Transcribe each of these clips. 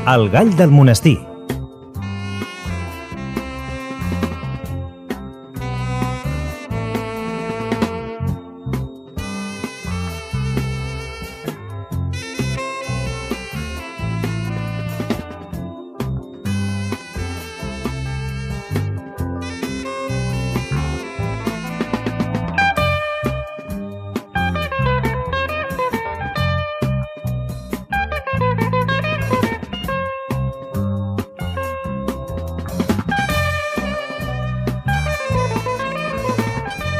El gall del monestir.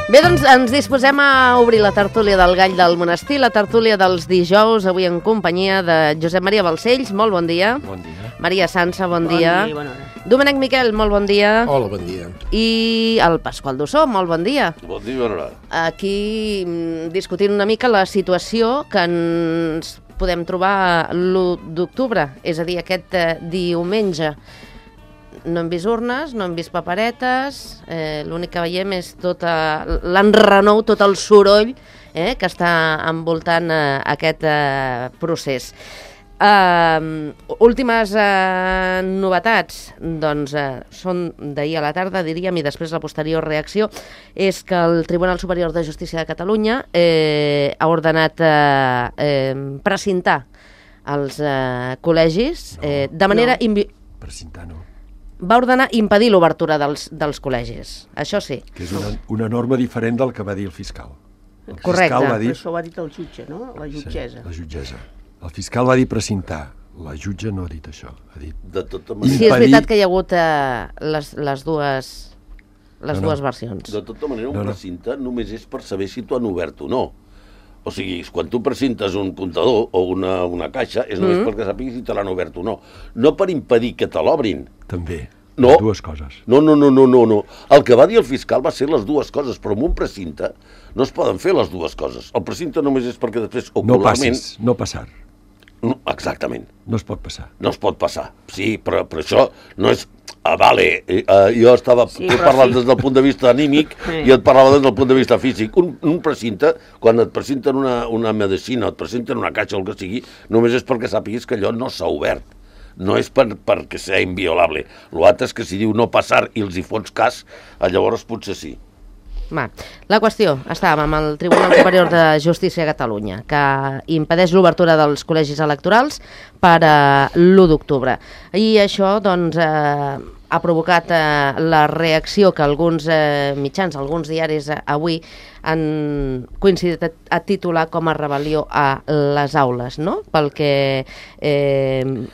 Bé, doncs ens disposem a obrir la tertúlia del gall del monestir, la tertúlia dels dijous, avui en companyia de Josep Maria Balcells, molt bon dia. Bon dia. Maria Sansa, bon dia. Bon dia, bona hora. Domènec Miquel, molt bon dia. Hola, bon dia. I el Pasqual Dussó, molt bon dia. Bon dia, bona hora. Aquí discutint una mica la situació que ens podem trobar l'1 d'octubre, és a dir, aquest diumenge. No hem vist urnes, no hem vist paperetes, l'únic que veiem és tot l'enrenou, tot el soroll que està envoltant aquest procés. Últimes novetats, doncs són d'ahir a la tarda, diríem, i després la posterior reacció, és que el Tribunal Superior de Justícia de Catalunya ha ordenat precintar els col·legis de manera... Precintar no. Va ordenar impedir l'obertura dels col·legis, això sí. Que és una norma diferent del que va dir el fiscal. El Correcte. fiscal va dir... Però això ho ha dit el jutge, no? La jutgessa. Sí, la jutgessa. El fiscal va dir precintar. La jutge no ha dit això. Ha dit... De tota manera... Sí, és veritat que hi ha hagut les dues versions. De tota manera, un precinte només és per saber si t'ho han obert o no. O sigui, quan tu precintes un comptador o una caixa, és només perquè sàpiguis si te l'han obert o no. No per impedir que te l'obrin. També. No. Les dues coses. No. El que va dir el fiscal va ser les dues coses, però amb un precinte no es poden fer les dues coses. El precinte només és perquè després ocularment... No passar. No, exactament. No es pot passar. No es pot passar, sí, però això no és... vale, jo estava parlant des del punt de vista anímic i et parlava des del punt de vista físic. Un precinte, quan et presenten una medicina o et presenten una caixa o el que sigui, només és perquè sàpiguis que allò no s'ha obert. No és perquè sigui inviolable. L'altre és que si diu no passar i els hi fots cas, llavors potser sí. Va. La qüestió, estàvem amb el Tribunal Superior de Justícia de Catalunya, que impedeix l'obertura dels col·legis electorals per l'1 d'octubre. I això, doncs, ha provocat la reacció que alguns mitjans, alguns diaris avui han coincidit a titular com a rebel·lió a les aules, no? Pel que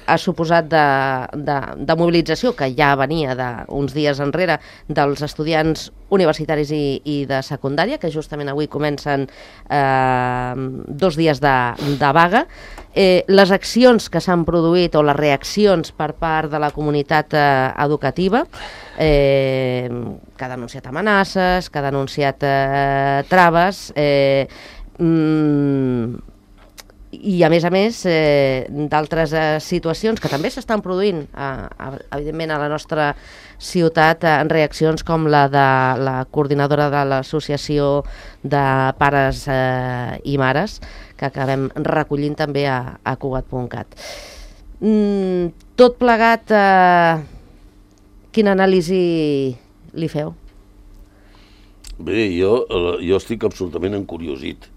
ha suposat de mobilització, que ja venia d'uns dies enrere, dels estudiants universitaris i de secundària, que justament avui comencen 2 dies de vaga. Les accions que s'han produït o les reaccions per part de la comunitat educativa, que ha denunciat amenaces, que ha denunciat traves, i a més d'altres situacions que també s'estan produint evidentment a la nostra ciutat, en reaccions com la de la coordinadora de l'Associació de Pares i Mares, que acabem recollint també a Cugat.cat. Tot plegat, quina anàlisi li feu? Bé, jo estic absolutament encuriosit.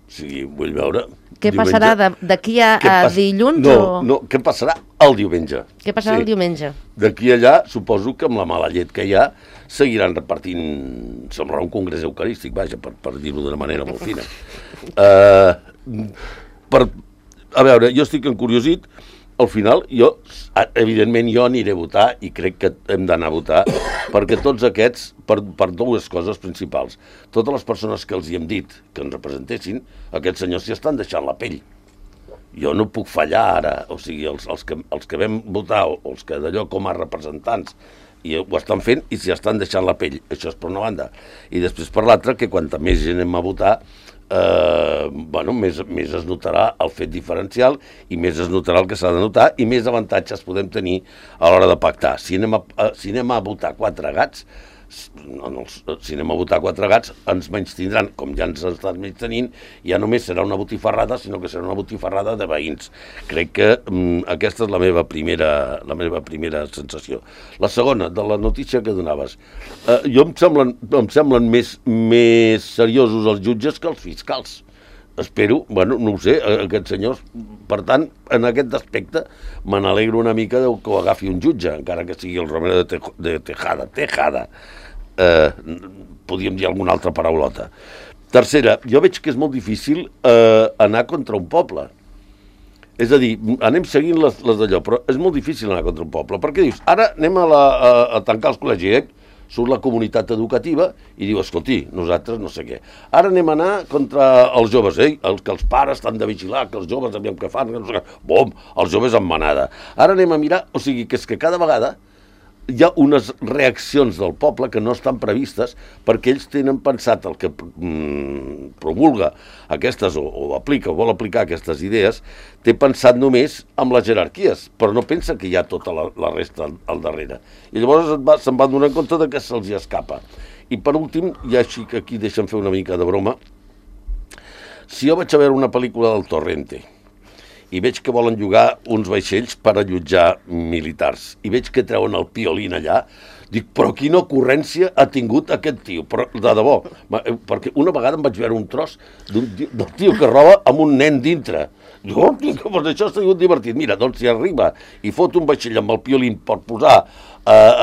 O sigui, vull veure... Què passarà d'aquí a dilluns? No, què passarà el diumenge? Què passarà el diumenge? D'aquí allà, suposo que amb la mala llet que hi ha, seguiran repartint... Semblarà un congrés eucarístic, vaja, per dir-ho d'una manera molt fina. A veure, jo estic encuriosit. Al final, evidentment, jo aniré a votar i crec que hem d'anar a votar perquè tots aquests, per dues coses principals. Totes les persones que els hi hem dit que ens representessin, aquests senyors s'hi estan deixant la pell. Jo no puc fallar ara, o sigui, els que vam votar, o els que d'allò com a representants, i ho estan fent i s'hi estan deixant la pell. Això és per una banda. I després per l'altra, que quanta més gent anem a votar, més es notarà el fet diferencial i més es notarà el que s'ha de notar i més avantatges podem tenir a l'hora de pactar. Si anem a votar 4 gats, si anem a votar 4 gats, ens menys tindran, com ja ens estan menys tenint, ja només serà una botifarrada, sinó que serà una botifarrada de veïns. Crec que aquesta és la meva primera sensació. La segona, de la notícia que donaves. Jo em semblen més seriosos els jutges que els fiscals. Espero, bueno, no ho sé, aquests senyors, per tant, en aquest aspecte me n'alegro una mica que ho agafi un jutge, encara que sigui el Romero de Tejada. Podríem dir alguna altra paraulota. Tercera, jo veig que és molt difícil anar contra un poble. És a dir, anem seguint les d'allò, però és molt difícil anar contra un poble, perquè dius, ara anem a tancar els col·legis, surt la comunitat educativa i diu, escolti, nosaltres no sé què. Ara anem a anar contra els joves, que els pares estan de vigilar, que els joves aviam què fan, que no sé què. Bom, els joves en manada. Ara anem a mirar, o sigui, que és que cada vegada hi ha unes reaccions del poble que no estan previstes perquè ells tenen pensat el que promulga aquestes o aplica o vol aplicar aquestes idees, té pensat només amb les jerarquies, però no pensa que hi ha tota la resta al darrere. I llavors se'n van donar compte de que se'ls escapa. I per últim, ja així que aquí deixen fer una mica de broma, si jo vaig a veure una pel·lícula del Torrente i veig que volen llogar uns vaixells per allotjar militars, i veig que treuen el piolín allà, dic, però quina ocurrència ha tingut aquest tio, però de debò, perquè una vegada em vaig veure un tros del tio que roba amb un nen dintre. Dic, oh, doncs això ha sigut divertit. Mira, doncs si arriba i fot un vaixell amb el piolín per posar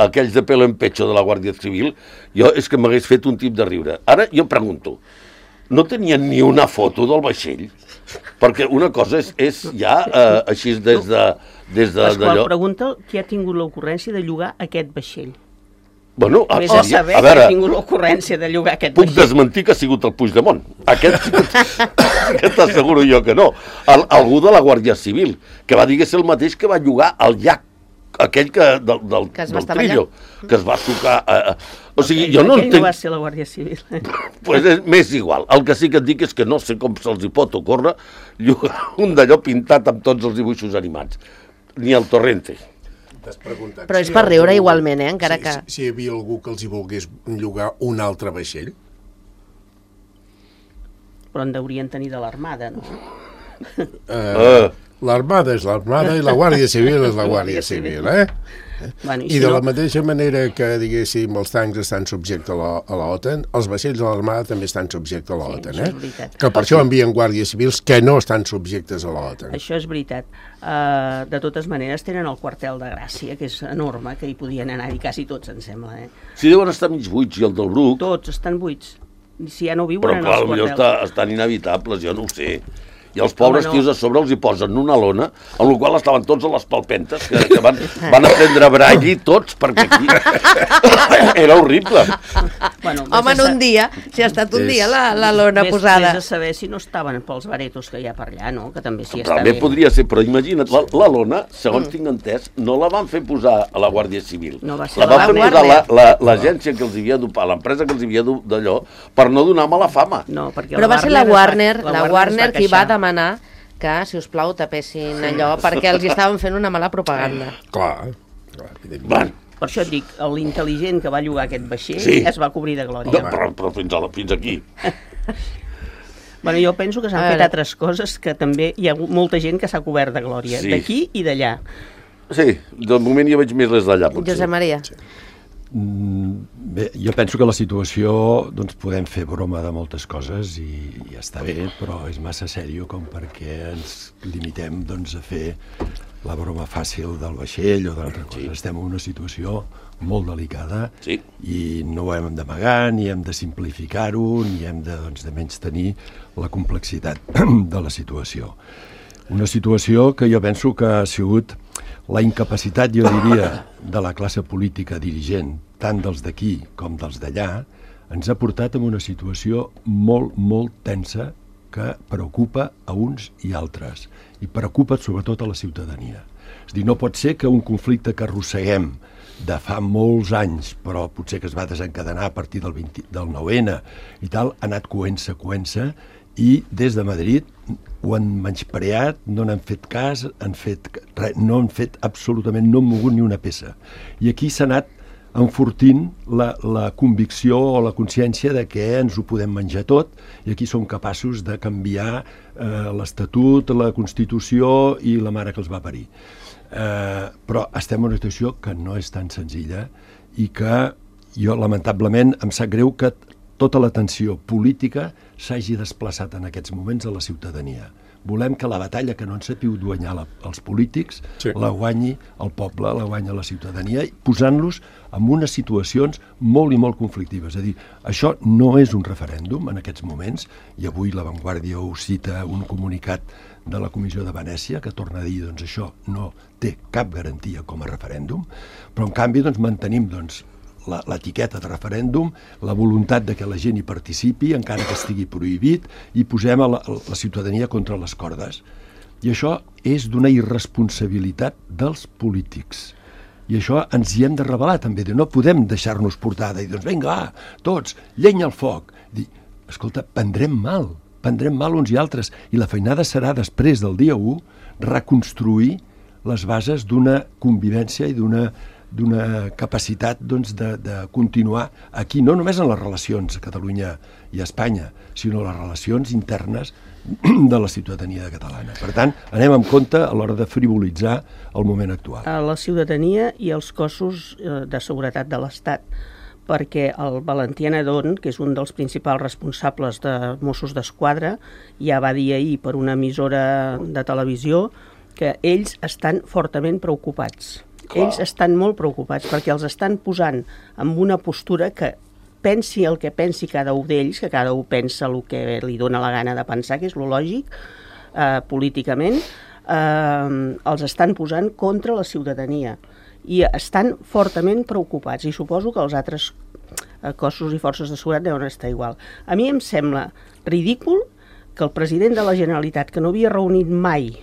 aquells de pelo en pecho de la Guàrdia Civil, jo és que m'hagués fet un tip de riure. Ara jo pregunto, no tenien ni una foto del vaixell? Perquè una cosa és ja així des Pasqual d'allò... pregunta qui ha tingut l'ocurrència de llogar aquest vaixell. Bueno, Vés a saber qui ha tingut l'ocurrència de llogar aquest puc vaixell. desmentir que ha sigut el Puigdemont. Aquest t'asseguro jo que no. Algú de la Guàrdia Civil, que va dir que és el mateix que va llogar al llac aquell del Trillo, que es va sucar... O sigui, jo no entenc... no va ser la Guàrdia Civil. Pues m'és igual. El que sí que et dic és que no sé com se'ls hi pot ocórrer llogar un d'allò pintat amb tots els dibuixos animats. Ni el Torrente. Però és per riure igualment, encara que... Si hi havia algú que els hi volgués llogar un altre vaixell? Però en deurien tenir de l'Armada, no? L'Armada és l'Armada i la Guàrdia Civil és la Guàrdia Civil, Bueno, I de la mateixa manera que, diguéssim, els tancs estan subjectes a l'OTAN, els vaixells de l'Armada també estan subjectes a l'OTAN, això és veritat. Que per això envien guàrdies civils que no estan subjectes a l'OTAN. Això és veritat. De totes maneres, tenen el quartel de Gràcia, que és enorme, que hi podien anar-hi quasi tots, em sembla. Si deuen estar mig buits, i el del Bruc... Tots estan buits. Si ja no viuen però en clar, els quartels. potser estan inevitables, jo no ho sé. I els pobres tios a sobre els hi posen una lona, amb la qual estaven tots a les palpentes, que van aprendre braille tots, perquè aquí era horrible. Bueno, home, en un dia, si ha estat un dia la lona posada. Vés a saber si no estaven pels baretos que hi ha per allà, no? Que també s'hi està També bé. podria ser, però imagina't, la lona, segons tinc entès, no la van fer posar a la Guàrdia Civil. No va ser la van la fer Guàrdia. posar l'agència que els havia d'upar, l'empresa que els havia d'allò, per no donar mala fama. No, perquè Però va ser la Warner qui va queixar. demanar que, si us plau, tapessin allò, perquè els hi estaven fent una mala propaganda. Clar, Bueno, Per això et dic, l'intel·ligent que va llogar aquest vaixell es va cobrir de glòria. però fins aquí. Bueno, jo penso que s'han fet altres coses que també hi ha molta gent que s'ha cobert de glòria, d'aquí i d'allà. Sí, de moment jo veig més les d'allà, potser. Josep Maria. Bé, jo penso que la situació, doncs podem fer broma de moltes coses i ja està bé, però és massa sèrio com perquè ens limitem doncs, a fer la broma fàcil del vaixell o d'altra cosa. Estem en una situació molt delicada i no ho hem d'amagar, ni hem de simplificar-ho, ni hem de menystenir la complexitat de la situació. Una situació que jo penso que ha sigut la incapacitat, jo diria, de la classe política dirigent, tant dels d'aquí com dels d'allà, ens ha portat a una situació molt, molt tensa que preocupa a uns i altres, i preocupa sobretot a la ciutadania. És a dir, no pot ser que un conflicte que arrosseguem de fa molts anys, però potser que es va desencadenar a partir del 9N i tal, ha anat coent-se, i des de Madrid ho han menyspreat, no n'han fet cas, no han fet absolutament, no han mogut ni una peça. I aquí s'ha anat enfortint la convicció o la consciència de que ens ho podem menjar tot i aquí som capaços de canviar l'Estatut, la Constitució i la mare que els va parir. Però estem en una situació que no és tan senzilla i que jo, lamentablement, em sap greu que tota l'atenció política s'hagi desplaçat en aquests moments a la ciutadania. Volem que la batalla que no ens sapiu guanyar els polítics la guanyi el poble, la guanya la ciutadania, posant-los en unes situacions molt i molt conflictives. És a dir, això no és un referèndum en aquests moments, i avui La Vanguardia ho cita un comunicat de la Comissió de Venècia, que torna a dir doncs, això no té cap garantia com a referèndum, però en canvi doncs, mantenim l'etiqueta de referèndum, la voluntat de que la gent hi participi, encara que estigui prohibit, i posem la ciutadania contra les cordes. I això és d'una irresponsabilitat dels polítics. I això ens hi hem de rebel·lar també, no podem deixar-nos portar i dir, doncs vinga, va, tots, llenya al foc. Dir, escolta, prendrem mal uns i altres, i la feinada serà després del dia 1 reconstruir les bases d'una convivència i d'una capacitat de continuar aquí, no només en les relacions a Catalunya i a Espanya, sinó les relacions internes de la ciutadania catalana. Per tant, anem amb compte a l'hora de frivolitzar el moment actual. A la ciutadania i els cossos de seguretat de l'Estat, perquè el Valentí Anadón, que és un dels principals responsables de Mossos d'Esquadra, ja va dir ahir per una emissora de televisió que ells estan fortament preocupats. Ells estan molt preocupats perquè els estan posant en una postura que pensi el que pensi cada un d'ells, que cada un pensa el que li dona la gana de pensar, que és lo lògic, políticament, els estan posant contra la ciutadania i estan fortament preocupats, i suposo que els altres cossos i forces de seguretat deuen estar igual. A mi em sembla ridícul que el president de la Generalitat, que no havia reunit mai,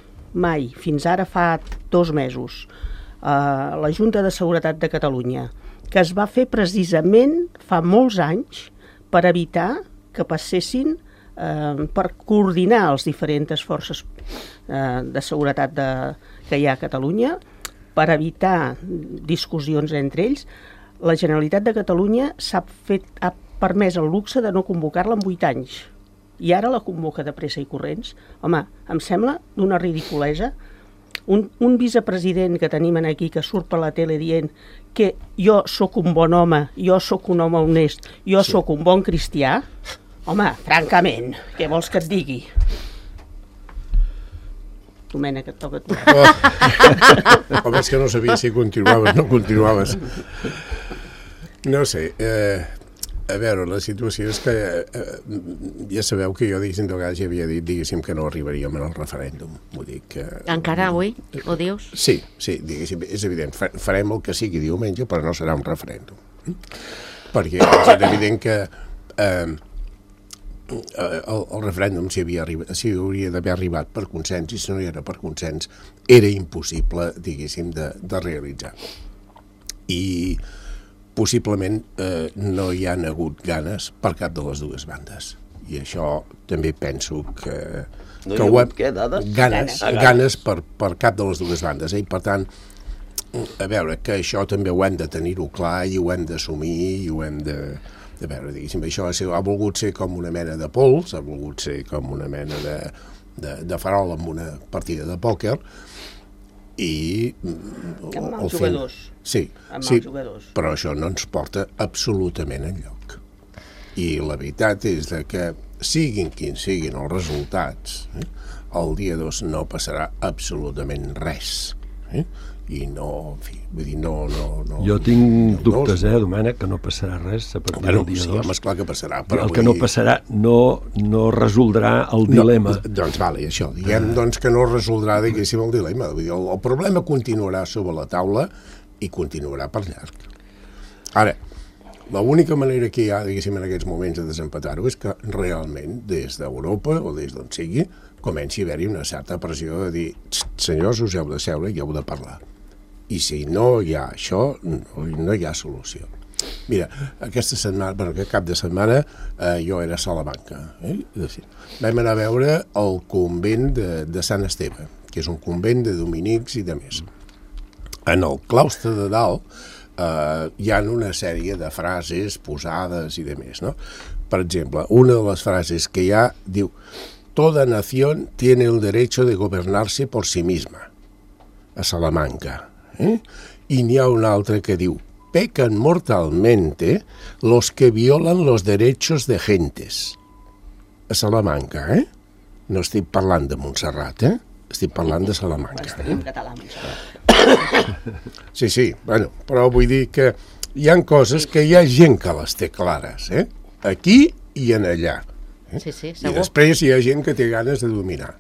fins ara fa 2 mesos, la Junta de Seguretat de Catalunya, que es va fer precisament fa molts anys per evitar que passessin, per coordinar les diferents forces de seguretat que hi ha a Catalunya, per evitar discussions entre ells. La Generalitat de Catalunya ha permès el luxe de no convocar-la en 8 anys, i ara la convoca de pressa i corrents. Home, em sembla d'una ridiculesa. Un vicepresident que tenim aquí que surt per la tele dient que jo sóc un bon home, jo sóc un home honest, jo sóc un bon cristià, home, francament, què vols que et digui? Domènec, et toca a tu. Home, és que no sabia si continuaves o no continuaves. No sé, a veure, la situació és que ja sabeu que jo, diguéssim, de vegades ja havia dit, diguéssim, que no arribaríem al referèndum. Vull dir que... Encara avui ho dius? Sí, diguéssim, és evident. Farem el que sigui diumenge, però no serà un referèndum. Perquè és evident que el referèndum, si hauria d'haver arribat per consens, i si no hi era per consens, era impossible, diguéssim, de realitzar. I possiblement no hi han hagut ganes per cap de les dues bandes. I això també penso que... No hi ha hagut què, dades? Ganes per cap de les dues bandes. I per tant, a veure, que això també ho hem de tenir-ho clar i ho hem d'assumir i ho hem de veure, diguéssim, això ha volgut ser com una mena de pols, ha volgut ser com una mena de farol amb una partida de pòquer, i... Amb els jugadors. Sí, jugadors. Però això no ens porta absolutament enlloc. I la veritat és que siguin quins siguin els resultats, el dia 2 no passarà absolutament res. I no, en fi, vull dir, no... Jo tinc dubtes, Domènec, que no passarà res a partir del dia 2. Sí, home, esclar que passarà. Però el que no passarà no resoldrà el dilema. Doncs vale, això, diguem doncs que no resoldrà, diguéssim, el dilema. Vull dir, el problema continuarà sobre la taula i continuarà per llarg. Ara, l'única manera que hi ha, diguéssim, en aquests moments de desempatar-ho és que realment des d'Europa o des d'on sigui comenci a haver-hi una certa pressió de dir senyors, us heu de seure i heu de parlar. I si no hi ha això, no hi ha solució. Mira, aquesta setmana, aquest cap de setmana, jo era a Salamanca. Vam anar a veure el convent de Sant Esteve, que és un convent de dominics i de més. En el claustre de dalt hi ha una sèrie de frases posades i de més, no? Per exemple, una de les frases que hi ha diu: toda nación tiene el derecho de gobernarse por sí misma, a Salamanca. I n'hi ha una altra que diu: pecan mortalmente los que violan los derechos de gentes, a Salamanca, No estic parlant de Montserrat, estic parlant de Salamanca. Estic en català, Montserrat. Sí, bueno, però vull dir que hi ha coses que hi ha gent que les té clares, aquí i en allà. Sí, I segur. després hi ha gent que té ganes de dominar.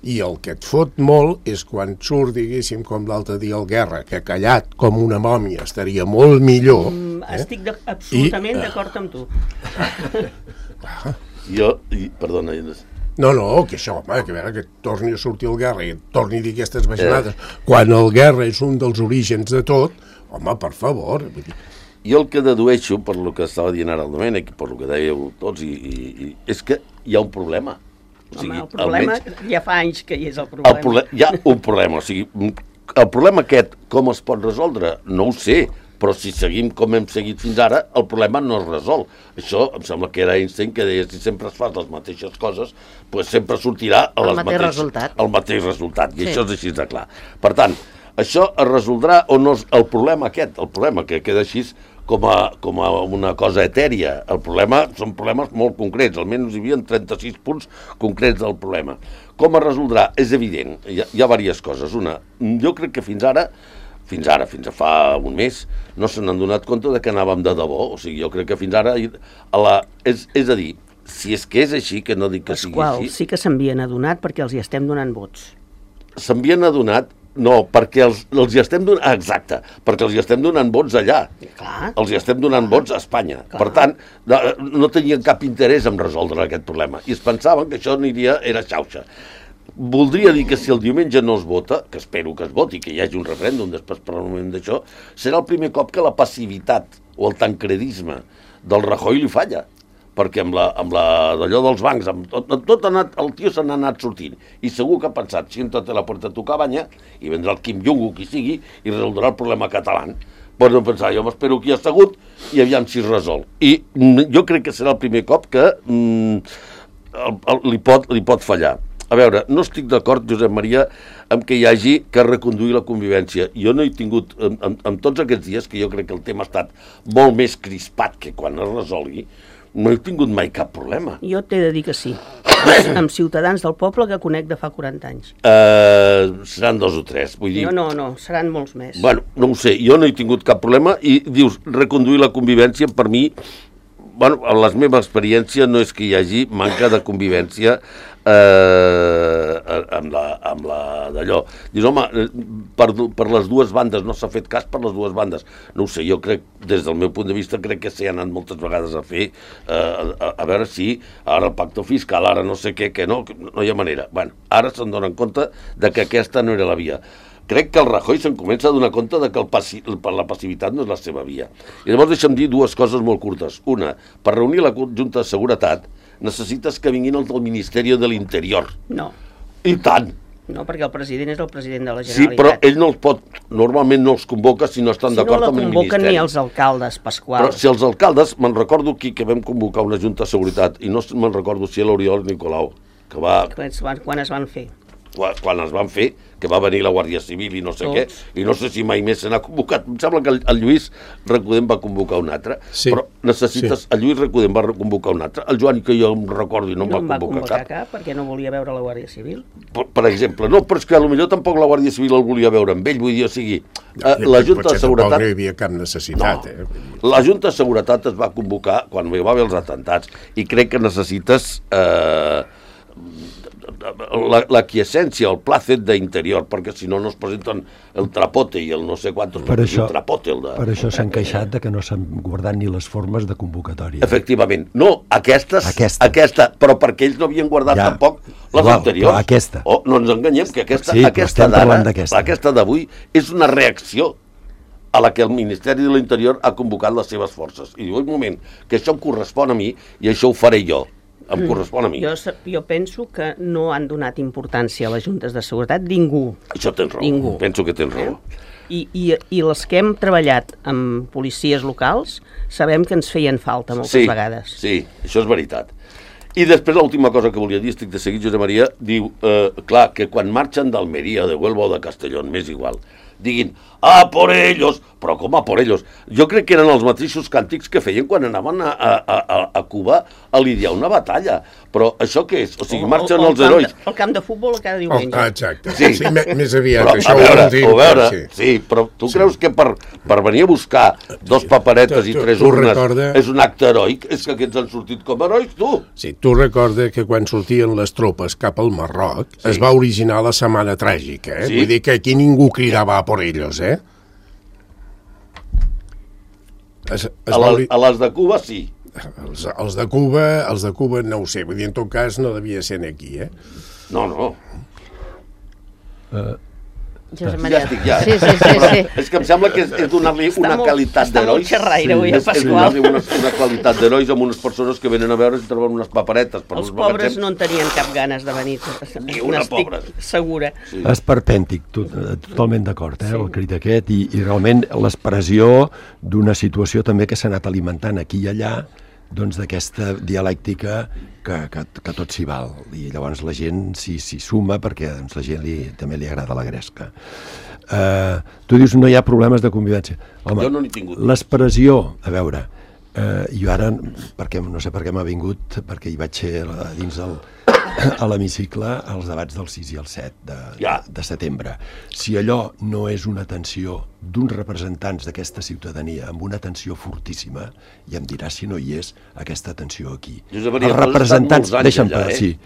I el que et fot molt és quan surt, diguéssim, com l'altre dia el Guerra, que callat com una mòmia estaria molt millor. Estic absolutament d'acord amb tu. Perdona, No, que això, home, que a veure, que torni a sortir el Guerra i et torni a dir aquestes bajanades, quan el Guerra és un dels orígens de tot, home, per favor. Jo el que dedueixo, per lo que estava dient ara el Domènec, per lo que dèieu tots, és que hi ha un problema. El problema, ja fa anys que hi és el problema. Hi ha un problema, o sigui, el problema aquest, com es pot resoldre? No ho sé, però si seguim com hem seguit fins ara, el problema no es resol. Això em sembla que era Einstein, que deia, si sempre es fas les mateixes coses, doncs sempre sortirà el mateix resultat, i això és així de clar. Per tant, això es resoldrà o no el problema aquest, el problema que queda així com a una cosa etèria. El problema són problemes molt concrets, almenys hi havia 36 punts concrets del problema. Com es resoldrà? És evident, hi ha diverses coses. Una, jo crec que fins a fa un mes, no se n'han donat compte de que anàvem de debò. O sigui, jo crec que fins ara, és a dir, si és que és així, que no dic que sigui així... Sí que s'havien adonat perquè els hi estem donant vots. S'havien adonat, no, perquè els hi estem donant... Exacte, perquè els hi estem donant vots allà. Clar. Els hi estem donant vots a Espanya. Clar. Per tant, no tenien cap interès en resoldre aquest problema. I es pensaven que això era xauxa. Voldria dir que si el diumenge no es vota, que espero que es voti, que hi hagi un referèndum després per al moment d'això, serà el primer cop que la passivitat o el tancredisme del Rajoy li falla, perquè amb d'allò dels bancs, tot el tio se n'ha anat sortint, i segur que ha pensat, siéntate a la puerta de tu cabanya, i vendrà el Kim Jong-un, qui sigui, i resoldrà el problema català. Pots no pensar, jo m'espero que hi ha assegut, i aviam si es resol. I jo crec que serà el primer cop que li pot fallar. A veure, no estic d'acord, Josep Maria, amb que hi hagi que reconduir la convivència. Jo no he tingut, en tots aquests dies, que jo crec que el tema ha estat molt més crispat que quan es resolgui, no he tingut mai cap problema. Jo t'he de dir que sí. Amb ciutadans del poble que conec de fa 40 anys. Seran 2 o 3, vull dir... No, seran molts més. Bueno, no ho sé, jo no he tingut cap problema i dius, reconduir la convivència, per mi, bueno, en la meva experiència no és que hi hagi manca de convivència amb la d'allò. Dius, home, per les dues bandes, no s'ha fet cas per les dues bandes. No ho sé, jo crec, des del meu punt de vista, crec que s'hi ha anat moltes vegades a fer, a veure si ara el pacte fiscal, ara no sé què, que no hi ha manera. Bueno, ara se'n donen compte de que aquesta no era la via. Crec que el Rajoy se'n comença a donar compte de que la passivitat no és la seva via. I llavors deixa'm dir dues coses molt curtes. Una, per reunir la Junta de Seguretat necessites que vinguin els del Ministeri de l'Interior. No. I tant. No, perquè el president és el president de la Generalitat. Sí, però ell no els pot, normalment no els convoca si no estan d'acord amb el Ministeri. Si no la convoquen ni els alcaldes, Pasqual. Però si els alcaldes, me'n recordo aquí que vam convocar una Junta de Seguretat, i no me'n recordo si l'Oriol Nicolau, que va... Quan es van fer? Quan es van fer, que va venir la Guàrdia Civil i no sé què, i no sé si mai més se n'ha convocat. Em sembla que el Lluís Recudem va convocar un altre, però necessites... El Lluís Recudem va convocar un altre, el Joan, que jo em recordo, i no em va convocar cap. Perquè no volia veure la Guàrdia Civil. Per exemple, no, però és que potser tampoc la Guàrdia Civil el volia veure amb ell, vull dir, o sigui, la Junta de Seguretat... No hi havia cap necessitat, La Junta de Seguretat es va convocar quan hi va haver els atentats, i crec que necessites... la quiescència, el placet d'interior, perquè si no es presenten el trapote i el no sé quantos... Per això s'han queixat de que no s'han guardat ni les formes de convocatòria. Efectivament. No, aquesta, però perquè ells no havien guardat tampoc les anteriors. Aquesta. No ens enganyem, que aquesta d'avui és una reacció a la que el Ministeri de l'Interior ha convocat les seves forces. I diu, un moment, que això em correspon a mi i això ho faré jo. em correspon a mi. Jo penso que no han donat importància a les juntes de seguretat ningú. Això tens raó, Ningú. penso que tens raó. I les que hem treballat amb policies locals sabem que ens feien falta moltes vegades. Sí, això és veritat. I després l'última cosa que volia dir, estic de seguit, Josep Maria, diu, clar, que quan marxen d'Almeria, de Huelva o de Castellón, m'és igual, diguin, a por ellos, però com a por ellos? Jo crec que eren els mateixos càntics que feien quan anaven a Cuba a lidiar una batalla. Però això què és? O sigui, marxen els herois. El camp de futbol cada diumenge. Exacte. Sí, més aviat. Però, això a veure, sí, però tu creus que per venir a buscar dos paperetes i tres urnes és un acte heroic? És que aquests han sortit com herois, tu? Sí, tu recorda que quan sortien les tropes cap al Marroc es va originar la Setmana Tràgica, eh? Vull dir que aquí ningú cridava a por ellos, eh? A les de Cuba, sí. Els de Cuba no ho sé, vull dir, en tot cas no devia ser aquí, eh? No. Josep Maria. Ja estic, ja. Sí. És que em sembla que és donar-li una qualitat d'herois. Està molt xerraire avui, Pasqual. Una qualitat d'herois amb unes persones que venen a veure si troben unes paperetes. Els pobres no en tenien cap ganes de venir. Ni una pobra. Segura. Sí. Esperpèntic, totalment d'acord, el crit aquest, i realment l'expressió d'una situació també que s'ha anat alimentant aquí i allà, doncs d'aquesta dialèctica que tot s'hi val, i llavors la gent s'hi suma perquè doncs, la gent també li agrada la gresca. Tu dius no hi ha problemes de convivència. Home, jo no n'he tingut. L'expressió, a veure, jo ara, no sé per què m'ha vingut, perquè hi vaig ser dins a l'hemicicle als debats del 6 i el 7 de setembre. Si allò no és una tensió d'uns representants d'aquesta ciutadania amb una tensió fortíssima, ja em diràs si no hi és aquesta tensió aquí. Josep Maria, els representants, deixa'm allà, sí.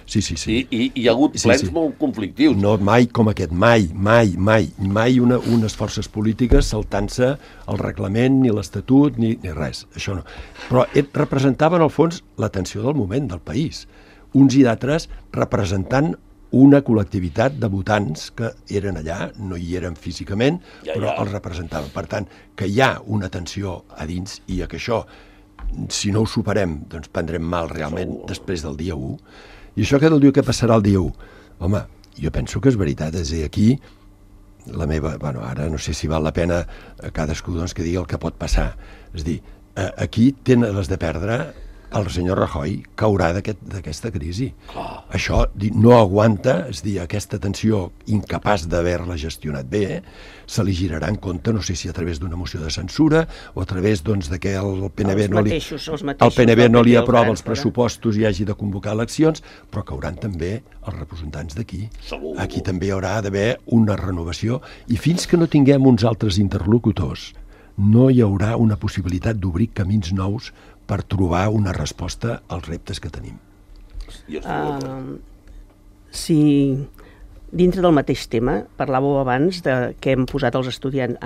I hi ha hagut plens molt conflictius. No, mai com aquest, mai unes forces polítiques saltant-se el reglament, ni l'Estatut, ni res, això no. Però representaven, al fons, la tensió del moment del país. Uns i d'altres representant una col·lectivitat de votants que eren allà, no hi eren físicament, però els representaven. Per tant, que hi ha una tensió a dins i que això, si no ho superem, doncs prendrem mal realment després del dia 1. I això que diu que passarà el dia 1? Home, jo penso que és veritat, és a dir, aquí la meva, ara no sé si val la pena cadascú doncs, que digui el que pot passar. És a dir, aquí tenen les de perdre el senyor Rajoy caurà d'aquesta crisi. Això no aguanta, és dir, aquesta tensió incapaç d'haver-la gestionat bé, se li girarà en compte, no sé si a través d'una moció de censura o a través de que el PNB no li aprova els pressupostos i hagi de convocar eleccions, però cauran també els representants d'aquí. Aquí també hi haurà d'haver una renovació i fins que no tinguem uns altres interlocutors no hi haurà una possibilitat d'obrir camins nous per trobar una resposta als reptes que tenim. Si dintre del mateix tema, parlàveu abans de que hem posat els estudiants,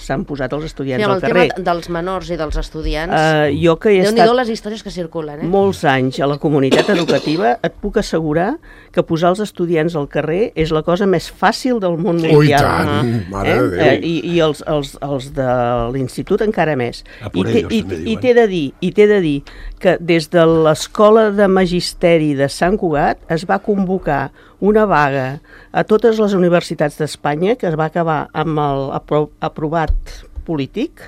s'han posat els estudiants al carrer. El tema dels menors i dels estudiants, jo que he estat les històries que circulen. Molts anys a la comunitat educativa, et puc assegurar que posar els estudiants al carrer és la cosa més fàcil del món mundial. Ui, tant, mare de Déu. I els de l'institut encara més. I t'he de dir que des de l'Escola de Magisteri de Sant Cugat es va convocar una vaga a totes les universitats d'Espanya, que es va acabar amb el aprovat polític,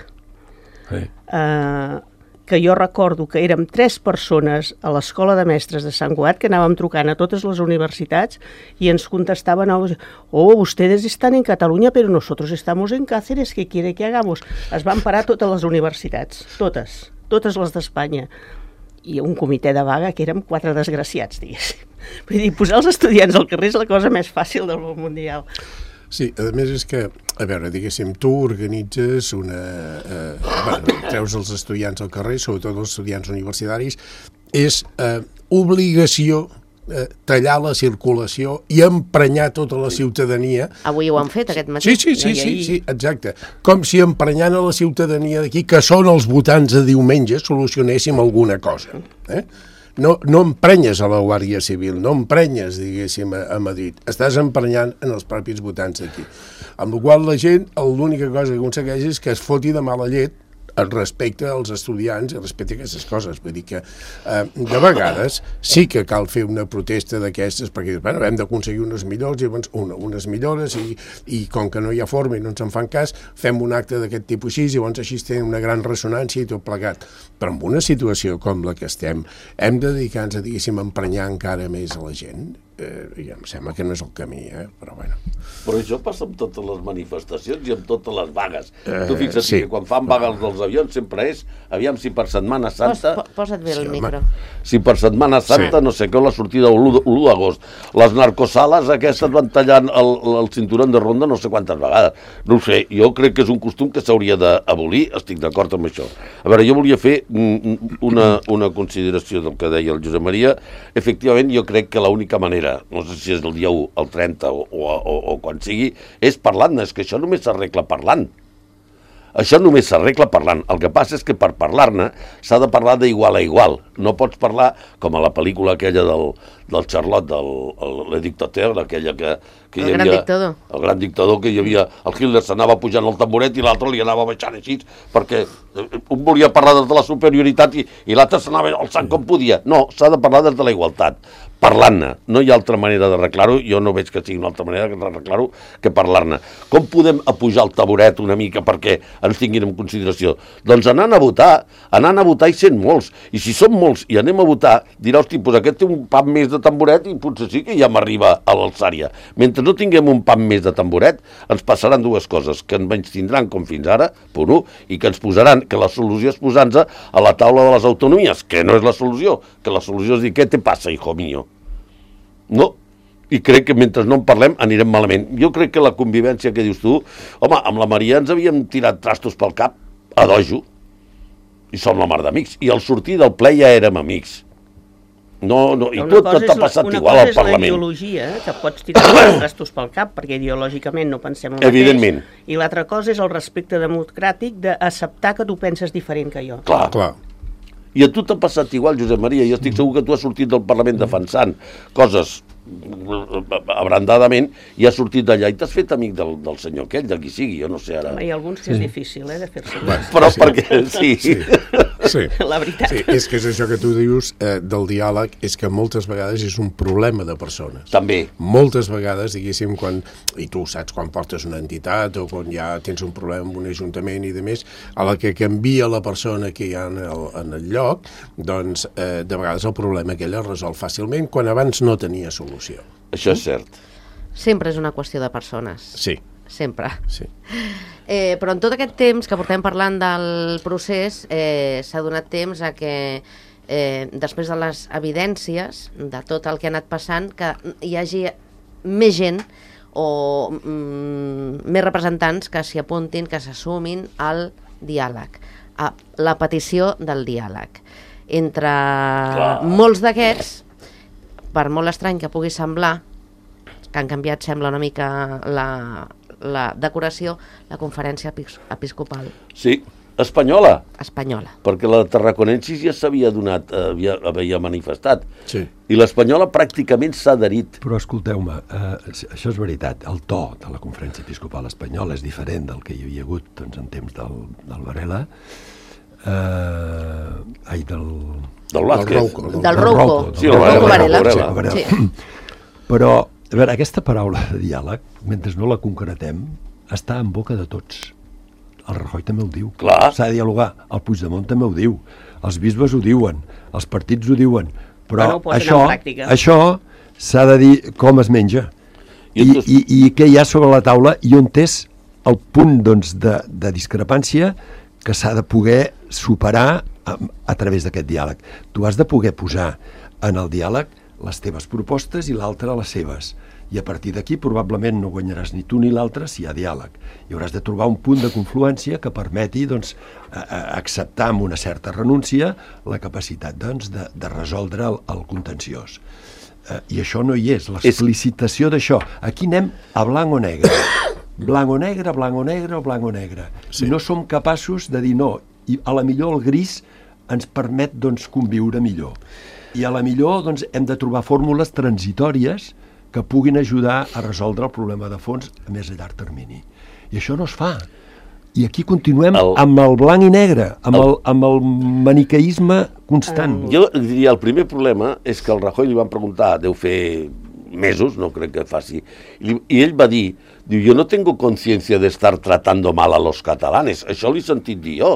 que jo recordo que érem 3 persones a l'Escola de Mestres de Sant Cugat que anàvem trucant a totes les universitats i ens contestaven, ustedes están en Cataluña, pero nosotros estamos en Cáceres, ¿qué quiere que hagamos? Es van parar totes les universitats, totes les d'Espanya. I un comitè de vaga que érem 4 desgraciats, diguéssim. Vull dir, posar els estudiants al carrer és la cosa més fàcil del món mundial. Sí, a més és que, a veure, diguéssim, tu organitzes treus els estudiants al carrer, sobretot els estudiants universitaris, és obligació tallar la circulació i emprenyar tota la ciutadania. Avui ho han fet aquest matí. Sí, exacte. Com si emprenyant a la ciutadania d'aquí, que són els votants de diumenge, solucionéssim alguna cosa. No emprenyes a la Guàrdia Civil, no emprenyes, diguéssim, a Madrid. Estàs emprenyant en els propis votants d'aquí. Amb la qual la gent, l'única cosa que aconsegueix és que es foti de mala llet respecte als estudiants i respecte a aquestes coses. Vull dir que de vegades sí que cal fer una protesta d'aquestes perquè bueno, hem d'aconseguir unes millores i com que no hi ha forma i no ens en fan cas, fem un acte d'aquest tipus així i llavors així tenen una gran ressonància i tot plegat. Però en una situació com la que estem, hem de dedicar-nos a, diguéssim, emprenyar encara més a la gent. Ja em sembla que no és el camí, però bueno. Però això passa amb totes les manifestacions i amb totes les vagues. Tu fixa't que quan fan vagues dels avions sempre és, aviam si per Setmana Santa... Posa't bé el micro. Si per Setmana Santa, no sé què, la sortida l'1 d'agost. Les narcosales aquestes van tallant el cinturón de ronda no sé quantes vegades. No ho sé, jo crec que és un costum que s'hauria d'abolir, estic d'acord amb això. A veure, jo volia fer una consideració del que deia el Josep Maria. Efectivament, jo crec que l'única manera, no sé si és el dia 1, el 30 o quan sigui, és parlant-ne, és que això només s'arregla parlant. Això només s'arregla parlant. El que passa és que per parlar-ne s'ha de parlar d'igual a igual. No pots parlar com a la pel·lícula aquella del Charlotte, el dictateur, aquella que hi havia... Gran dictador. El gran dictador, que hi havia... El Hitler s'anava pujant al tamboret i l'altre li anava baixant així, perquè un volia parlar des de la superioritat i l'altre s'anava alçant com podia. No, s'ha de parlar des de la igualtat. Parlant-ne. No hi ha altra manera d'arreglar-ho, jo no veig que sigui una altra manera d'arreglar-ho que parlar-ne. Com podem apujar el taburet una mica perquè ens tinguin en consideració? Doncs anant a votar i sent molts. I si som molts i anem a votar, dirà, hosti, doncs aquest té un pam més de tamboret i potser sí que ja m'arriba a l'alçària. Mentre no tinguem un pam més de tamboret, ens passaran dues coses, que ens menystindran com fins ara, punt 1, i que ens posaran, que la solució és posar-nos a la taula de les autonomies, que no és la solució, que la solució és dir, què te passa, hijo mío? No, i crec que mentre no en parlem anirem malament. Jo crec que la convivència que dius tu, home, amb la Maria ens havíem tirat trastos pel cap a dojo i som la mar d'amics, i al sortir del ple ja érem amics. No, i tot t'ha passat igual al Parlament. Una cosa és la ideologia, que pots tirar trastos pel cap, perquè ideològicament no pensem el mateix. Evidentment. I l'altra cosa és el respecte democràtic d'acceptar que tu penses diferent que jo. Clar. I a tu t'ha passat igual, Josep Maria. Jo estic segur que tu has sortit del Parlament defensant coses abrandadament i has sortit d'allà i t'has fet amic del senyor aquell, de qui sigui, jo no sé ara. Hi ha alguns que és difícil, de fer-se. Però perquè sí. La veritat. Sí, és que és això que tu dius del diàleg, és que moltes vegades és un problema de persones. També. Moltes vegades, diguéssim, i tu saps quan portes una entitat o quan ja tens un problema amb un ajuntament i de més, a la que canvia la persona que hi ha en el lloc, doncs de vegades el problema aquell es resol fàcilment quan abans no tenia solució. Això és cert. Sempre és una qüestió de persones. Sí. Sempre. Sí. Però en tot aquest temps que portem parlant del procés s'ha donat temps a que després de les evidències de tot el que ha anat passant, que hi hagi més gent o més representants que s'hi apuntin, que s'assumin al diàleg, a la petició del diàleg. Entre molts d'aquests, per molt estrany que pugui semblar, que han canviat, sembla, una mica la decoració, la conferència episcopal. Sí, espanyola. Espanyola. Perquè la tarraconensis ja s'havia donat, havia manifestat. Sí. I l'espanyola pràcticament s'ha adherit. Però escolteu-me, això és veritat, el to de la conferència episcopal espanyola és diferent del que hi havia hagut doncs, en temps del Varela, del Vázquez. Del Rouco. Sí, el Varela. Sí. Però, a veure, aquesta paraula de diàleg, mentre no la concretem, està en boca de tots. El Rajoy també ho diu. Clar. S'ha de dialogar. El Puigdemont també ho diu. Els bisbes ho diuen. Els partits ho diuen. Però això s'ha de dir com es menja. I què hi ha sobre la taula i on és el punt doncs, de discrepància que s'ha de poder superar a través d'aquest diàleg. Tu has de poder posar en el diàleg les teves propostes i l'altre les seves. I a partir d'aquí probablement no guanyaràs ni tu ni l'altre si hi ha diàleg. I hauràs de trobar un punt de confluència que permeti doncs, acceptar amb una certa renúncia la capacitat doncs, de resoldre el contenciós. I això no hi és, l'explicitació d'això. Aquí anem a blanc o negre. Blanc o negre, blanc o negre o blanc o negre. Sí. I no som capaços de dir no. I a la millor el gris ens permet doncs, conviure millor. I a la millor doncs, hem de trobar fórmules transitòries que puguin ajudar a resoldre el problema de fons a més a llarg termini. I això no es fa. I aquí continuem amb el blanc i negre, amb el maniqueisme constant. Jo diria, el primer problema és que al Rajoy li van preguntar, deu fer mesos, no crec que faci, i ell va dir, jo no tengo conciencia de estar tratando mal a los catalanes, això l'he sentit dir jo.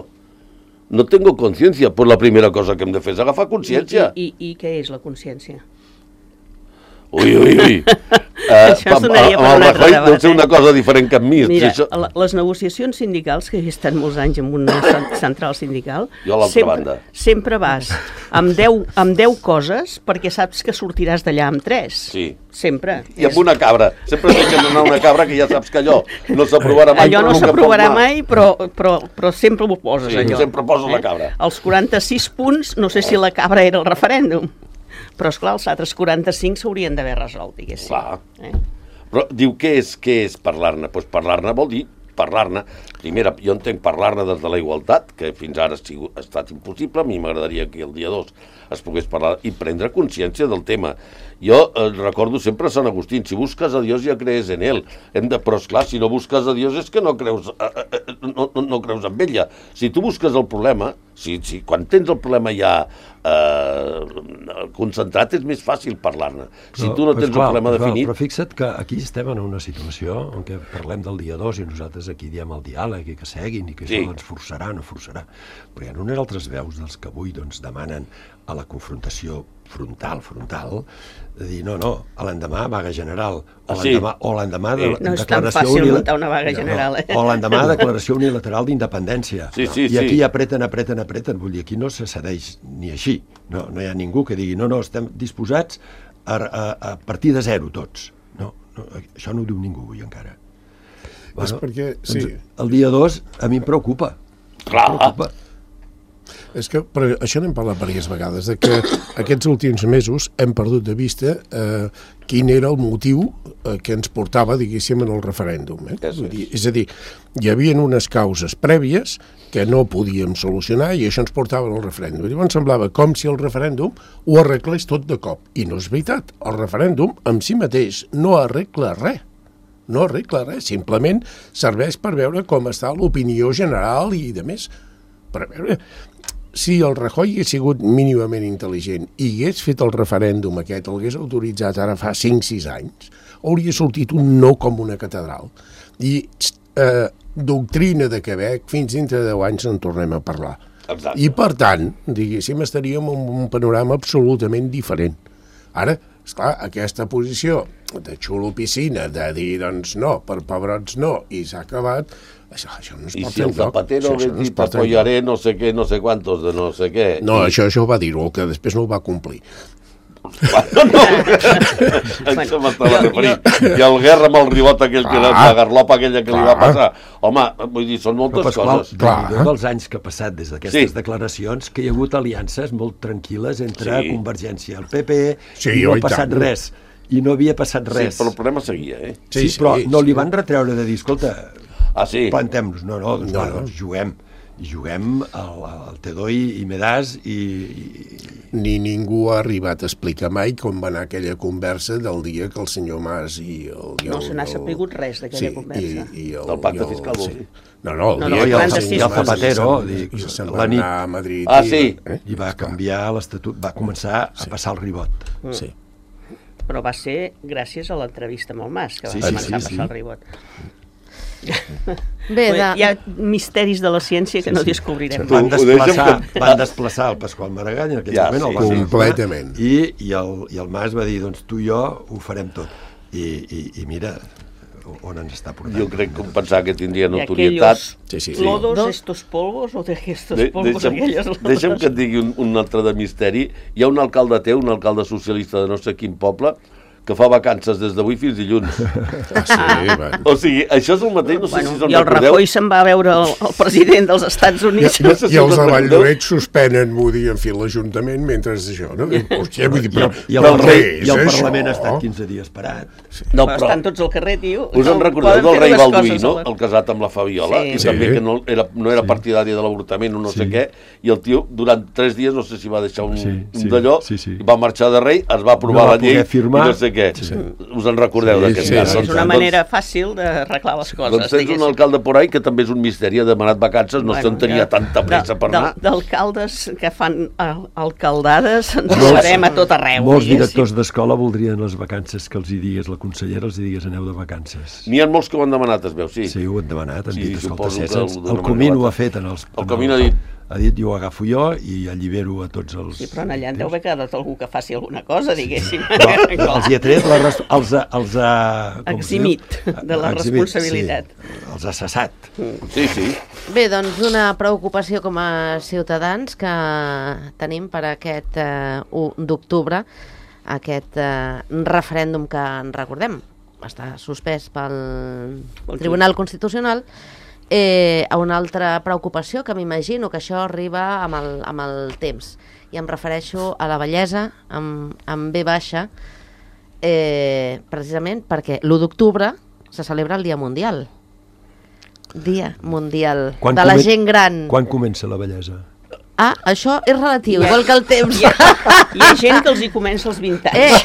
No tengo conciencia, pues la primera cosa que hem de fer és agafar consciència. I què és la consciència? Ui. Això sonaria per un altre debat. Deu ser una cosa diferent que amb mi. Mira, les negociacions sindicals, que he estat molts anys en una central sindical, jo a l'altra banda. Sempre vas amb 10 coses perquè saps que sortiràs d'allà amb 3. Sí. Sempre. I amb una cabra. Sempre deixen anar una cabra que ja saps que allò no s'aprovarà mai. Allò no s'aprovarà mai, però sempre ho poses, allò. Sempre poses la cabra. Els 46 punts, no sé si la cabra era el referèndum. Però, esclar, els altres 45 s'haurien d'haver resolt, diguéssim. Clar. Però diu, què és parlar-ne? Doncs parlar-ne vol dir parlar-ne. Primera, jo entenc parlar-ne des de la igualtat, que fins ara ha estat impossible. A mi m'agradaria que el dia 2 es pogués parlar i prendre consciència del tema. Jo recordo sempre a Sant Agustín, si busques a Dios ja crees en ell. Però, esclar, si no busques a Dios és que no creus en ella. Si tu busques el problema, quan tens el problema ja concentrat és més fàcil parlar-ne. Si tu no tens el problema definit... Però fixa't que aquí estem en una situació en què parlem del dia 2 i nosaltres aquí diem el diàleg i que seguin i que això ens forçarà, no forçarà. Però hi ha unes altres veus dels que avui demanen a la confrontació frontal, de dir, no, a l'endemà vaga general, o l'endemà de no és tan fàcil muntar una vaga general, o l'endemà declaració unilateral d'independència. I aquí apreten, vull dir, aquí no se cedeix ni així. No hi ha ningú que digui, no, estem disposats a partir de zero tots. No, això no ho diu ningú avui encara. És perquè, sí. El dia 2 a mi em preocupa. Clar. És que això n'hem parlat diverses vegades, de que aquests últims mesos hem perdut de vista quin era el motiu que ens portava, diguéssim, en el referèndum. És a dir, hi havia unes causes prèvies que no podíem solucionar i això ens portava al referèndum. Llavors semblava com si el referèndum ho arreglés tot de cop. I no és veritat. El referèndum en si mateix no arregla res. No arregla res. Simplement serveix per veure com està l'opinió general i de més. Per veure... Si el Rajoy hagués sigut mínimament intel·ligent i hagués fet el referèndum aquest, el hagués autoritzat ara fa 5-6 anys, hauria sortit un no com una catedral. I doctrina de Quebec, fins dintre de 10 anys en tornem a parlar. Exacte. I per tant, diguéssim, estaríem en un panorama absolutament diferent. Ara, esclar, aquesta posició de xulo piscina, de dir, doncs no, per pebrots no, i s'ha acabat... Això no es pot I si el Zapatero hagués dit apoyaré no sé què, no sé quantos de no sé què... No, això ho va dir-ho, que després no ho va complir. No, això m'estava referint. I el Guerra amb el ribot aquell, la garlopa aquella que li va passar. Home, vull dir, són moltes coses. Dels anys que ha passat des d'aquestes declaracions, que hi ha hagut aliances molt tranquil·les entre Convergència i el PP, i no ha passat res. I no havia passat res. Sí, però el problema seguia, Sí, però no li van retreure de dir, escolta... plantem-nos, doncs juguem al Tedoi i Medàs i... Ni ningú ha arribat a explicar mai com va anar aquella conversa del dia que el senyor Mas i el... No se n'ha sapigut res d'aquella conversa. Del pacte fiscal, vol dir? No, el dia que el Zapatero se'n va anar a Madrid. I va canviar l'estatut, va començar a passar el ribot. Sí. Però va ser gràcies a l'entrevista amb el Mas que va començar a passar el ribot. Bé, hi ha misteris de la ciència que no descobrirem. Van desplaçar el Pasqual Maragall en aquell moment, el va fer completament. I el Mas va dir, doncs tu i jo ho farem tot. I mira on ens està portant. Jo crec que pensava que tindria notorietat. Lodos, estos polvos, o de estos polvos, aquelles lodos. Deixa'm que et digui un altre de misteri. Hi ha un alcalde teu, un alcalde socialista de no sé quin poble, que fa vacances des d'avui fins dilluns. O sigui, això és el mateix, no sé si se'n recordeu. I el Rajoy se'n va veure el president dels Estats Units. I els de Valldoreix suspenen, vull dir, en fi, l'Ajuntament mentre és això, no? Hòstia, vull dir, I el Parlament ha estat 15 dies parat. No, però estan tots al carrer, tio. Us en recordeu del rei Balduí, no? El casat amb la Fabiola, i també que no era partidari de l'avortament o no sé què, i el tio, durant 3 dies, no sé si va deixar un d'allò, va marxar de rei, es va aprovar la llei, i no sé perquè us en recordeu d'aquest sí, cas. sí. És una manera fàcil d'arreglar les coses. Doncs tens un alcalde por ahí que també és un misteri, ha demanat vacances, no se'n tenia tanta pressa per anar. D'alcaldes que fan alcaldades ens farem a tot arreu. Molts directors d'escola voldrien les vacances que els hi digués la consellera, els hi digués aneu de vacances. N'hi ha molts que ho han demanat, es veu, sí. Sí, ho han demanat, han Sí, dit, escolta, suposo que César, ho el Comín ho ha fet en els... El Comín ha dit... Ha dit, jo ho agafo jo i allibero a tots els... Sí, però allà en deu haver quedat algú que faci alguna cosa, diguéssim. Però els hi ha tret, els ha... Eximit de la responsabilitat. Sí, els ha cessat. Sí, sí. Bé, doncs una preocupació com a ciutadans que tenim per aquest 1 d'octubre, aquest referèndum que en recordem, està suspès pel Tribunal Constitucional. A una altra preocupació, que m'imagino que això arriba amb el temps, i em refereixo a la bellesa amb B baixa, precisament perquè l'1 d'octubre se celebra el Dia Mundial. Dia Mundial de la gent gran. Quan comença la bellesa? Ah, això és relatiu, igual que el temps. Hi ha gent que els hi comença als 20 anys.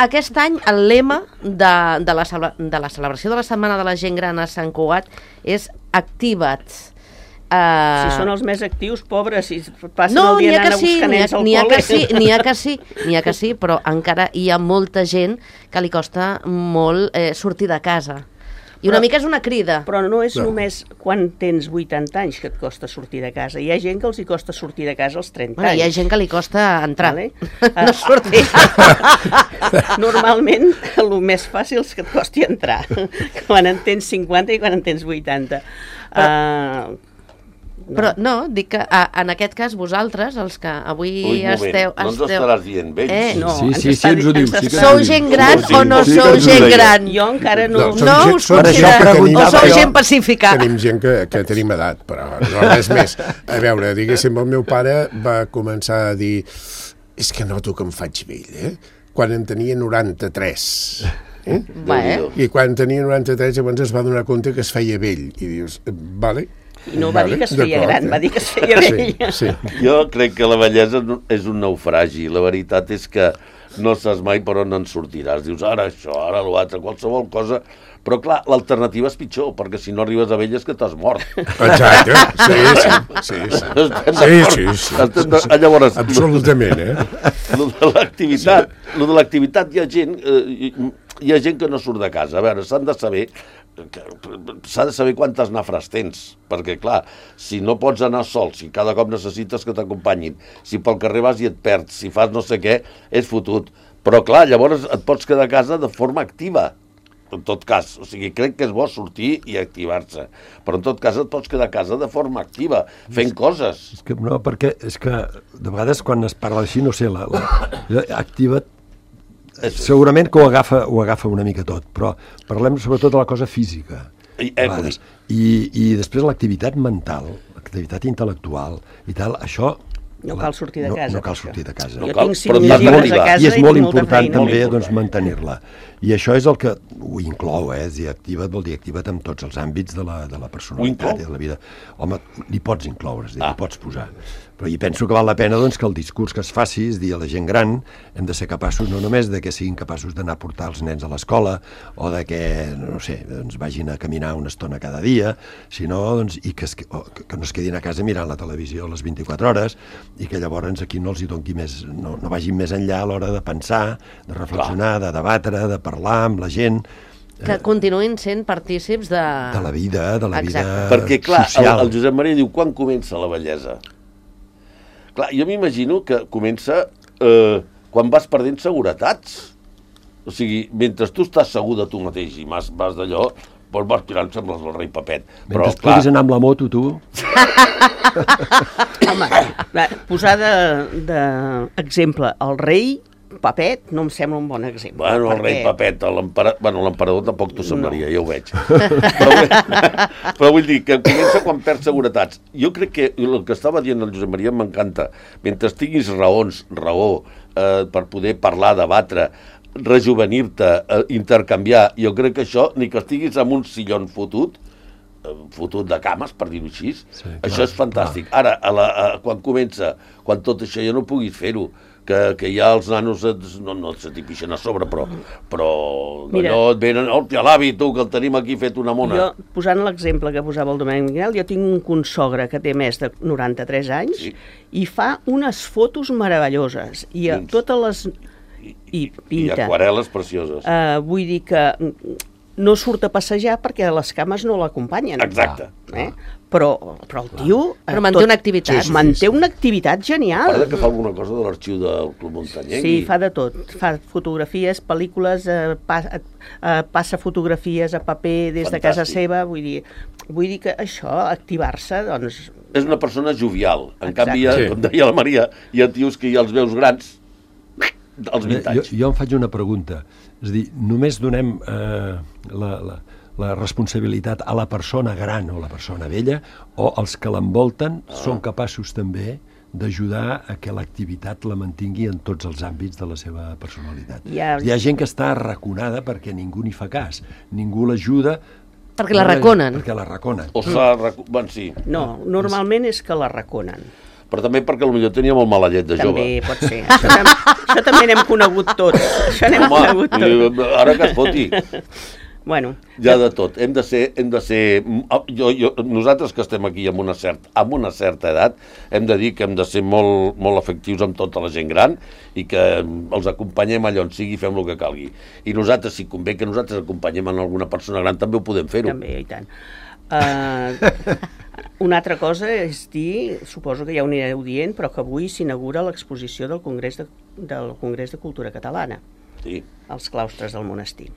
Aquest any el lema de la celebració de la Setmana de la Gent Gran a Sant Cugat és Activa't. Si són els més actius, pobres, si passen el dia anant a buscar nens al col·le. N'hi ha que sí, però encara hi ha molta gent que li costa molt sortir de casa. I una mica és una crida. Però no és només quan tens 80 anys que et costa sortir de casa. Hi ha gent que els hi costa sortir de casa als 30 anys. Hi ha gent que li costa entrar, vale? No sortir. Normalment, el més fàcil és que et costi entrar, quan en tens 50 i quan en tens 80. Però no, dic que en aquest cas vosaltres, els que avui esteu... No ens estaràs dient vells. No, Sí, ens ho diu. Sou gent gran o no sou gent gran? Jo encara no... No us considereu, o sou gent pacífica? Tenim gent que tenim edat, però no res més. A veure, diguéssim, el meu pare va començar a dir és que noto que em faig vell, quan en tenia 93. I quan tenia 93 llavors es va donar compte que es feia vell. I dius, vale... I no va dir que es feia gran, va dir que es feia vell. Sí. Jo crec que la bellesa és un naufragi. La veritat és que no saps mai per on en sortiràs. Dius, ara això, ara l'altre, qualsevol cosa. Però, clar, l'alternativa és pitjor, perquè si no arribes a vell és que t'has mort. Exacte, sí. Llavors, absolutament, Lo de l'activitat, hi ha gent que no surt de casa. A veure, s'ha de saber quantes nafres tens, perquè clar, si no pots anar sol, si cada cop necessites que t'acompanyin, si pel carrer vas i et perds, si fas no sé què, és fotut. Però clar, llavors et pots quedar a casa de forma activa, en tot cas. O sigui, crec que és bo sortir i activar-se, però en tot cas et pots quedar a casa de forma activa, fent coses. No, perquè és que de vegades quan es parla així, no sé, activa't, segurament que ho agafa una mica tot, però parlem sobretot de la cosa física. I després l'activitat mental, l'activitat intel·lectual i tal, això... No cal sortir de casa. No cal sortir de casa. Jo tinc 5 llibres a casa i és molt important també mantenir-la. I això és el que ho inclou, dir activa't vol dir activa't en tots els àmbits de la personalitat i de la vida. Home, li pots incloure, li pots posar. Però jo penso que val la pena que el discurs que es faci és dir a la gent gran hem de ser capaços no només de que siguin capaços d'anar a portar els nens a l'escola o de que, no sé, vagin a caminar una estona cada dia, sinó i que no es quedin a casa mirant la televisió a les 24 hores i que llavors aquí no els hi doni més, no vagin més enllà a l'hora de pensar, de reflexionar, de debatre, de parlar amb la gent. Que continuïn sent partícips de la vida, social. Perquè, clar, el Josep Maria diu, quan comença la bellesa? Clar, jo m'imagino que comença quan vas perdent seguretats. O sigui, mentre tu estàs segur de tu mateix i vas d'allò, doncs vas tirant, sembles el rei Papet. Mentre puguis anar amb la moto, tu... Home, posar d'exemple el rei Papet no em sembla un bon exemple. Bueno, el rei Papet, l'emperador tampoc t'ho semblaria, ja ho veig. Però vull dir que comença quan perds seguretats. Jo crec que el que estava dient el Josep Maria m'encanta. Mentre tinguis raó per poder parlar, debatre, rejuvenir-te, intercanviar, jo crec que això, ni que estiguis en un sillon fotut, fotut de cames, per dir-ho així. Sí, Això és fantàstic. Ara, quan comença, quan tot això ja no puguis fer-ho, que ja els nanos no se t'hi pixen a sobre, però allò et venen, hòstia, l'avi, tu, que el tenim aquí fet una mona. Jo, posant l'exemple que posava el Domènec Miguel, jo tinc un consogre que té més de 93 anys i fa unes fotos meravelloses. I totes les... I pinta. I aquarel·les precioses. Vull dir que no surt a passejar perquè les cames no l'acompanyen. Exacte. Però el tio... Però manté una activitat. Manté una activitat genial. Parla que fa alguna cosa de l'arxiu del Club Muntanyenc. Sí, fa de tot. Fa fotografies, pel·lícules, passa fotografies a paper des de casa seva. Vull dir que això, activar-se, doncs... És una persona jovial. En canvi, com deia la Maria, hi ha tios que ja els veus grans als 20 anys. Jo em faig una pregunta. És a dir, només donem la responsabilitat a la persona gran o la persona vella, o els que l'envolten són capaços també d'ajudar a que l'activitat la mantingui en tots els àmbits de la seva personalitat. Hi ha gent que està arraconada perquè ningú n'hi fa cas, ningú l'ajuda perquè la raconen. Perquè la raconen. Sí. No, normalment és que la raconen. Però també perquè potser tenia molt mala llet de jove. També pot ser. Això també n'hem conegut tots. Això n'hem conegut tots. Ara que es foti. Bueno. Ja de tot. Hem de ser nosaltres que estem aquí amb una certa edat, hem de dir que hem de ser molt, molt efectius amb tota la gent gran i que els acompanyem allà on sigui i fem el que calgui. I nosaltres, si convé que nosaltres acompanyem en alguna persona gran, també ho podem fer-ho. També, i tant. Una altra cosa és dir, suposo que ja ho anireu dient, però que avui s'inaugura l'exposició del Congrés de Cultura Catalana, als claustres del monestir.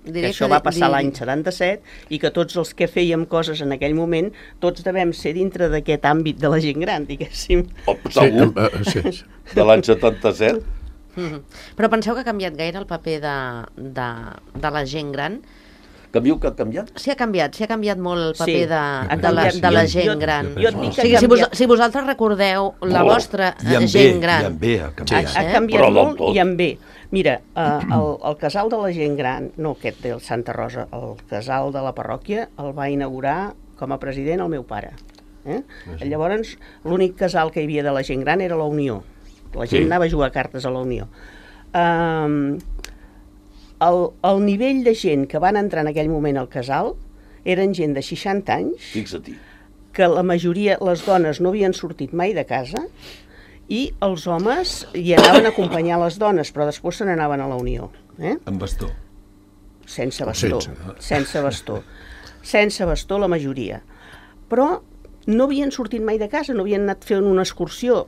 Això va passar l'any 77 i que tots els que fèiem coses en aquell moment, tots devem ser dintre d'aquest àmbit de la gent gran, diguéssim. Segur, de l'any 77. Però penseu que ha canviat gaire el paper de la gent gran? Que ha canviat? Sí, ha canviat molt el paper de la gent gran. Si vosaltres recordeu la vostra gent gran... Ha canviat molt i en bé. Mira, el casal de la gent gran, no aquest del Santa Rosa, el casal de la parròquia el va inaugurar com a president el meu pare. Llavors, l'únic casal que hi havia de la gent gran era la Unió. La gent anava a jugar cartes a la Unió. El nivell de gent que van entrar en aquell moment al casal eren gent de 60 anys, que la majoria, les dones, no havien sortit mai de casa, i els homes hi anaven a acompanyar les dones, però després se n'anaven a la Unió. Amb bastó? Sense bastó. Sense bastó. Sense bastó la majoria. Però no havien sortit mai de casa, no havien anat fent una excursió.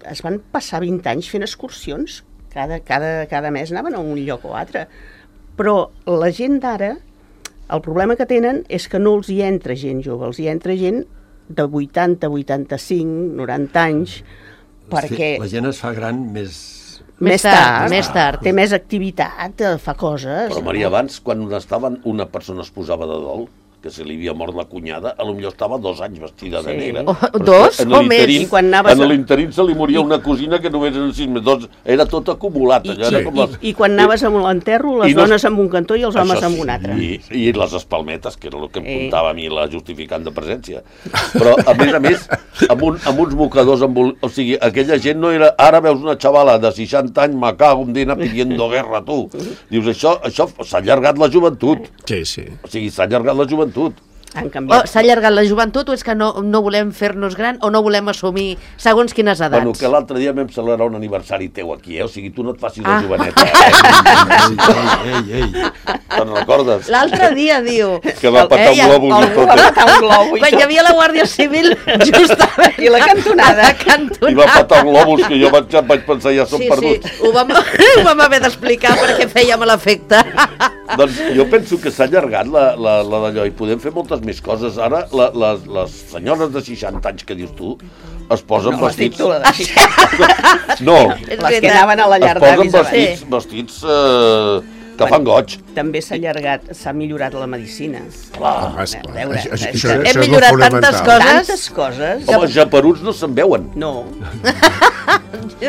Es van passar 20 anys fent excursions. Cada mes anaven a un lloc o altre. Però la gent d'ara, el problema que tenen és que no els hi entra gent jove, els hi entra gent de 80, 85, 90 anys, perquè... La gent es fa gran més tard. Té més activitat, fa coses. Però Maria, abans, quan una persona es posava de dol, que se li havia mort la cunyada, potser estava 2 anys vestida de negre. Dos o més? En l'interín se li moria una cosina que només eren 6 mesos. Era tot acumulat. I quan anaves amb l'enterro, les dones amb un cantó i els homes amb un altre. I les espalmetes, que era el que em contava a mi la justificant de presència. Però, a més, amb uns mocadors... O sigui, aquella gent no era... Ara veus una xavala de 60 anys, me cago en dina, pidiendo guerra, tu. Dius, això s'ha allargat la joventut. Sí. O sigui, s'ha allargat la joventut. S'ha allargat la joventut, o és que no volem fer-nos gran o no volem assumir segons quines edats? Bueno, que l'altre dia vam celebrar un aniversari teu aquí, o sigui, tu no et facis la joveneta. Ei. Te'n recordes? L'altre dia, diu... Que va petar un globus i tot. Quan hi havia la Guàrdia Civil, justament... I la cantonada. I va petar un globus, que jo vaig pensar, ja som perduts. Sí, ho vam haver d'explicar perquè fèiem l'efecte. Doncs jo penso que s'ha allargat la d'allò i podem fer moltes més coses. Ara, les senyores de 60 anys que dius tu, es posen vestits... No, les que anaven a la llar d'avis. Es posen vestits que fan goig. També s'ha millorat la medicina. Clar. Hem millorat tantes coses. Tantes coses. Home, els japeruts no se'n veuen. No.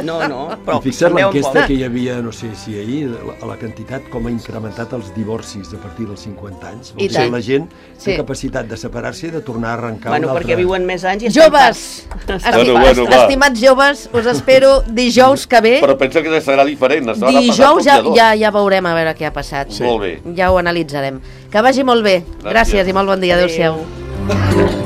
No, però Fixa't també un l'enquesta poc. que hi havia, no sé si ahir, la quantitat com ha incrementat els divorcis a partir dels 50 anys. I Vol dir tant. que la gent Sí. té capacitat de separar-se i de tornar a arrencar Bueno, una altra... perquè viuen més anys i estan Joves, Bueno, va. estimats joves, us espero dijous que ve. Però pensa que serà diferent. La setmana Dijous passada tot ja veurem a veure què ha passat. Sí. Molt bé. Ja ho analitzarem. Que vagi molt bé. Gràcies i molt bon dia. Adéu-siau.